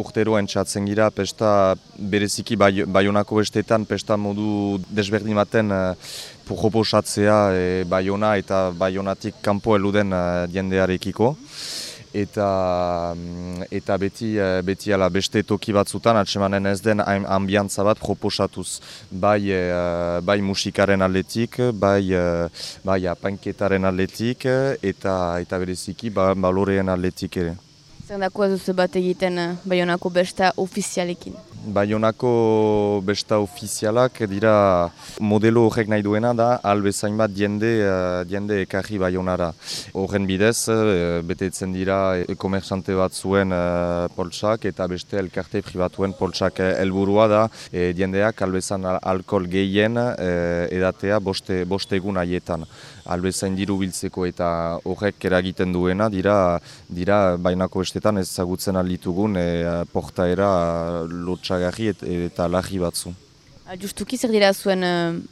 urtero entzatzen gira pesta bereziki Baionako bestetan pesta modu desberdin baten proposatzea Baiona eta Baionatik kanpo eluden jendearekiko. Eta beti ala beste toki batzutan atsemanen ez den ambiantza bat proposatuz. Bai musikaren aldetik, bai apainketaren aldetik eta bereziki baloreen aldetik ere. Zer dako ez duzu bat egiten Baionako besta ofizialekin? Baionako besta ofizialak dira modelo horrek nahi duena da albezain bat jende ekarri Baionara. Horren bidez, betetzen dira komersante bat zuen poltsak eta beste elkarte pribatuen poltsak. Helburua da jendeak albezan alkohol gehien edatea bost egun haietan. Albezain diru biltzeko eta horrek eragiten duena dira Baionako bestetan ezagutzen alditugun portaera lotxagarri eta larri batzu. Justuki zer dira zuen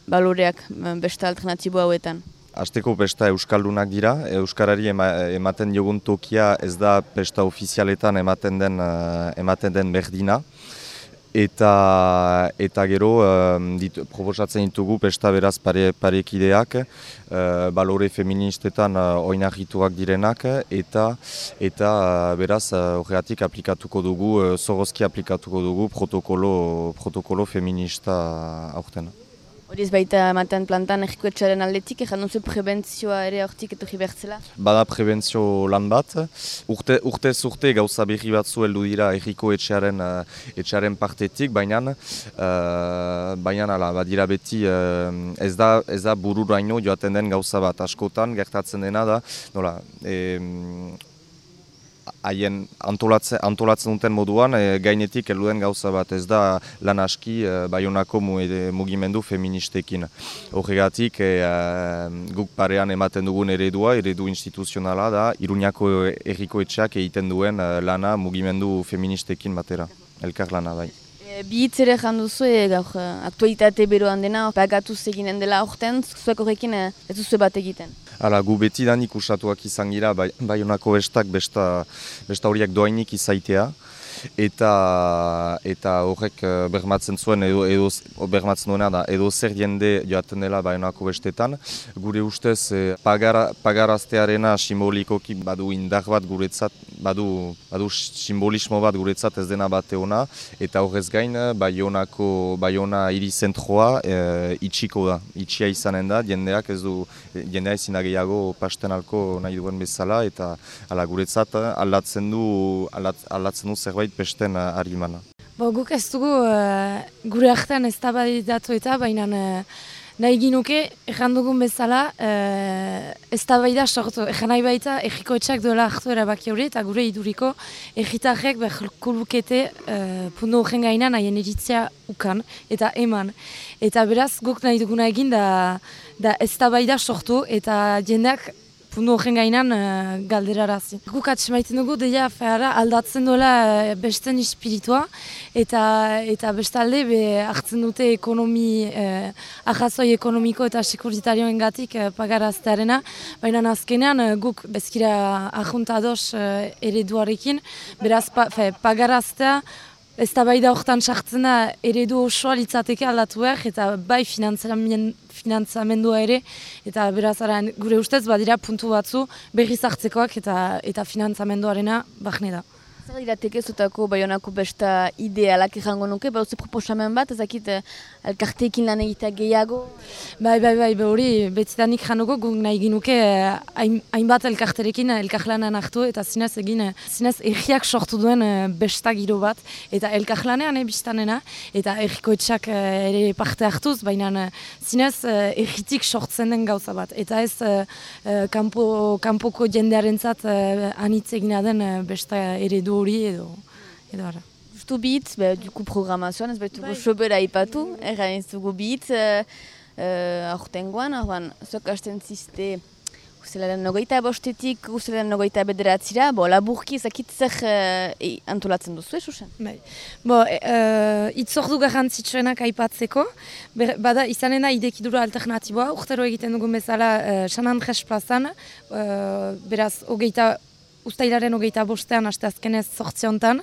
baloreak besta alternatibo hauetan? Hasteko besta euskaldunak dira, euskarari ematen jogun tokia ez da besta ofizialetan ematen den berdina. Eta gero proposatzen ditugu besta beraz parekideak, balore feministetan oinarrituak direnak eta beraz horregatik aplikatuko dugu, zorozki aplikatuko dugu protokolo feminista aurten. Hori ez baita ematen plantan errikoetxaren aldetik, ezan duzu prebentzioa ere hortik etorri behartzela? Bada prebentzio lan bat. Urtez urte gauza berri batzu heldu dira errikoetxearen partetik, baina badira beti ez da bururaino joaten den gauza bat. Askotan gertatzen dena da, haien antolatzen duten moduan, gainetik heldu gauza bat, ez da lan aski Baionako mugimendu feministekin. Horregatik, guk parean ematen dugun eredu instituzionala da, Iruñako errikoetxeak egiten duen lana mugimendu feministekin batera, elkar lana bai. Bi hitz ere janduzu, gaur aktualitate beroan dena, pagatuz eginen dela aurten, zuek horrekin ez duzu bat egiten? Hala, gu betidanik usatuak izan gira, Baionako bestak besta horiek doainik izaitea. Eta horrek bermatzen zuen bermatzen duena da edo zer jende joaten dela Baionako bestetan. Gure ustez pagaraztearena simbolikoki badu indar bat guretzat, badu simbolismo bat guretzat ez dena bate ona, eta horrez gain Baiona hiri zentroa itxiko da, itxia izanen da, jendea ezin da gehiago pastenalko nahi duen bezala, eta guretzat aldatzen du zerbait besten harimana. Guk ez dugu gure artean eztabaidatu eta baina nahi ginuke, ezan dugun bezala, eztabaida sortu. Ezan nahi baita errikoetxeak duela hartu erabaki hori eta gure iduriko erritarrek beharko lukete puntu horren gainan haien iritzia ukan eta eman. Eta beraz guk nahi duguna egin da eztabaida sortu eta jendeak puntu horren gainan galderarazi. Guk atxemaiten dugu deia aldatzen duela besten espiritua eta bestalde hartzen dute arrazoi ekonomiko eta sekuritarioen gatik pagaraztearena, baina azkenean guk bezkira ahuntados ereduarekin, beraz pagaraztea eztabaida horretan sartzen da eredu osoa litzateke aldatu behar eta bai finantzamendua ere eta beraz gure ustez badira puntu batzu berriz hartzekoak eta finantzamenduarena bahne da. Zer irateke zutako Baionako besta idealak errango nuke, bauze proposamen bat, ezakit elkarteekin lan egitea gehiago? Bai, hori betidanik januko guk nahi ginuke hainbat elkarterekin elkarlanean hartu eta zinez erriak sortu duen besta giro bat eta elkarlanean biztanena eta errikoetxak ere parte hartuz, baina zinez erritik sortzen den gauza bat eta ez kanpoko jendearentzat anitz egina den besta eredu hori edo ara. Justu bihitz, duku programazioan, ez betuko sobera ipatu, erran ez dugu bihitz, aurtengoan, zuek hasten ziste uzelaren 25-etik uzelaren 29-era, laburki ezakit zer antolatzen duzu, Susan? Itzordu garrantzitsuenak aipatzeko, bada izanen da idekidura alternatiboa, urtero egiten dugun bezala San Andres plazan, beraz, Uztailaren 25ean, asteazkenez 8 hontan.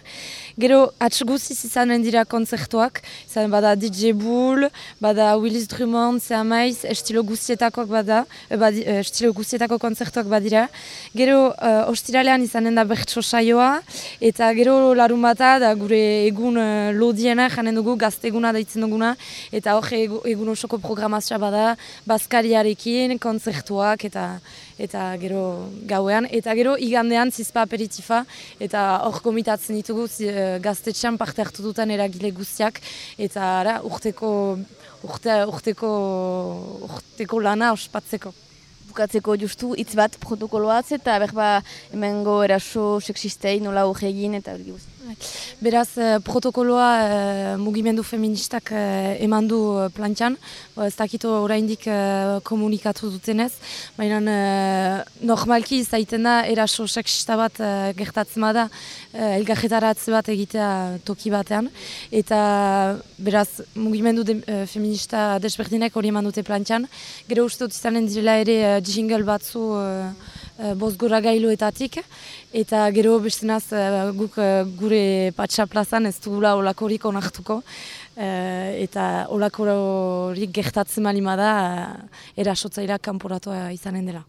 Gero, guziz izanen dira kontzertuak, izan bada DJ Bull, bada Willis Drummond, Zeamaiz, estilo guztietako kontzertuak badira. Gero, ostiralean izanen da bertso saioa, eta gero larun bata, da gure egun lodiena janen dugu, gazteguna daitzen duguna, eta hor egun osoko programazioa bada, bazkariarekin, kontzertuak, eta gero gauean, eta gero igandean zizpa aperitifa, eta hor gomitatzen ditugu gaztetxean parte hartu duten eragile guztiak, eta urteko lana ospatzeko. Bukatzeko justu hitz bat protokoloatz eta berba hemengo eraso sexistei nola hori egin eta hori guzti. Beraz, protokoloa mugimendu feministak eman du plantxan, ez dakito oraindik komunikatu dutenez, baina normalki izaiten da eraso sexista bat gertatzen bada elgarretaratze bat egitea toki batean, eta beraz mugimendu feminista desberdinek hori eman dute plantxan. Gero uste dut izanen direla ere jingle batzu bozgora gailuetatik, eta gero bestenaz guk gure patxa plazan ez dugula olakorik onartuko, eta olakorik gertatzen malima da erasotzaileak kanporatua izanen dela.